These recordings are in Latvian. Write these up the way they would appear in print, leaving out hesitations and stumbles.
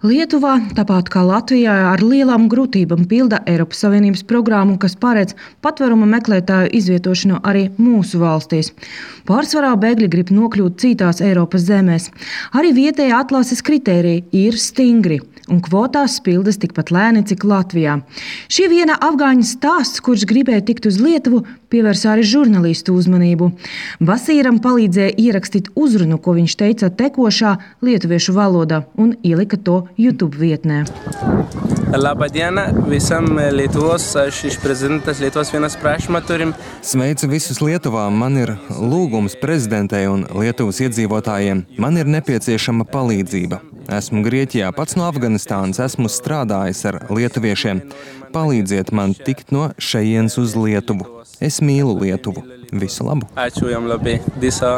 Lietuvā, tāpat kā Latvijā, ar lielām grūtībām pilda Eiropas Savienības programmu, kas paredz patvēruma meklētāju izvietošanu arī mūsu valstīs. Pārsvarā bēgļi grib nokļūt citās Eiropas zemēs. Arī vietējā atlases kritēriji ir stingri, un kvotās pildas tikpat lēni, cik Latvijā. Šī viena afgāņu stāsts, kurš gribēja tikt uz Lietuvu, pievērsa arī žurnālistu uzmanību. Basīram palīdzēja ierakstīt uzrunu, ko viņš teica tekošā lietuviešu valodā, un ielika to YouTube vietnē. Labadiena visam Lietuvos, aš iš prezidentas Lietuvos vienas prašymą turim. Sveicu visus Lietuvā, man ir lūgums prezidentei un Lietuvas iedzīvotājiem. Man ir nepieciešama palīdzība. Esmu Grieķijā, pats no Afganistānas, esmu strādājis ar lietuviešiem. Palīdziet man tikt no šejienes uz Lietuvu. Es mīlu Lietuvu. Visu labu! Ačiū jam labai. Diso.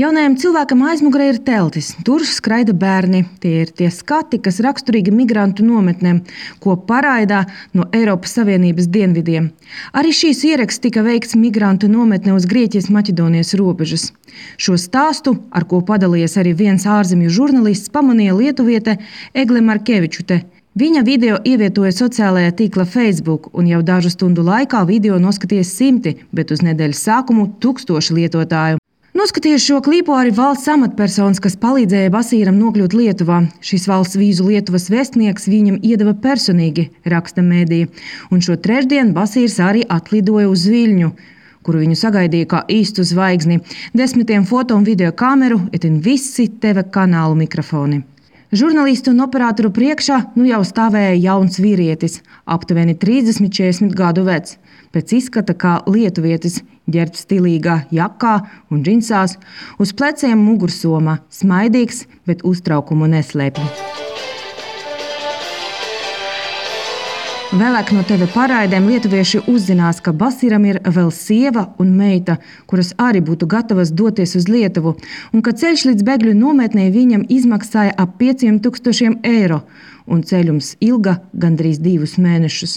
Jaunajam cilvēkam aizmugurē ir teltis. Tur skraida bērni. Tie ir tie skati, kas raksturīgi migrantu nometnēm, ko paraidā no Eiropas Savienības dienvidiem. Arī šīs ieraksts tika veikts migrantu nometnē uz Grieķijas-Maķedonijas robežas. Šo stāstu, ar ko padalījies arī viens ārzemju žurnālists, pamanīja lietuviete Egle Markevičute. Viņa video ievietoja sociālajā tīkla Facebook, un jau dažu stundu laikā video noskatījās simti, bet uz nedēļas sākumu 1000 lietotāju. Noskatījuši šo klipu arī valsts amatpersonas, kas palīdzēja Basīram nokļūt Lietuvā. Šis valsts vīzu Lietuvas vēstnieks viņam iedeva personīgi, raksta mēdīja. Un šo trešdienu Basīrs arī atlidoja uz Viļņu, kuru viņu sagaidīja kā īstu zvaigzni. 10 foto un video kameru, itin visi TV kanālu mikrofoni. Žurnālistu un operatoru priekšā jau stāvēja jauns vīrietis, aptuveni 30–40 gadu vecs. Pēc izskata kā lietuvietis, ģērbts stilīgā jakā un džinsās, uz pleciem mugursoma, smaidīgs, bet uztraukumu neslēpj. Vēlāk no TV paraidēm lietuvieši uzzinās, ka Basīram ir vēl sieva un meita, kuras arī būtu gatavas doties uz Lietuvu, un ka ceļš līdz bēgļu nometnē viņam izmaksāja ap 5000 eiro, un ceļums ilga gandrīz 2 mēnešus.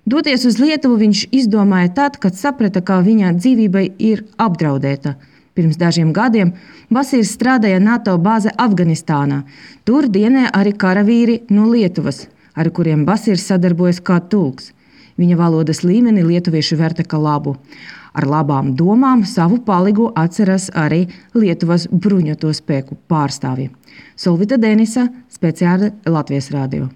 Doties uz Lietuvu viņš izdomāja tad, kad saprata, ka viņa dzīvībai ir apdraudēta. Pirms dažiem gadiem Basīrs strādāja NATO bāze Afganistānā. Tur dienē arī karavīri no Lietuvas, ar kuriem Basīrs sadarbojas kā tulks. Viņa valodas līmeni lietuvieši vērtē kā labu. Ar labām domām savu palīgu atceras arī Lietuvas bruņoto spēku pārstāvji. Solvita Denisa, speciāli Latvijas radio.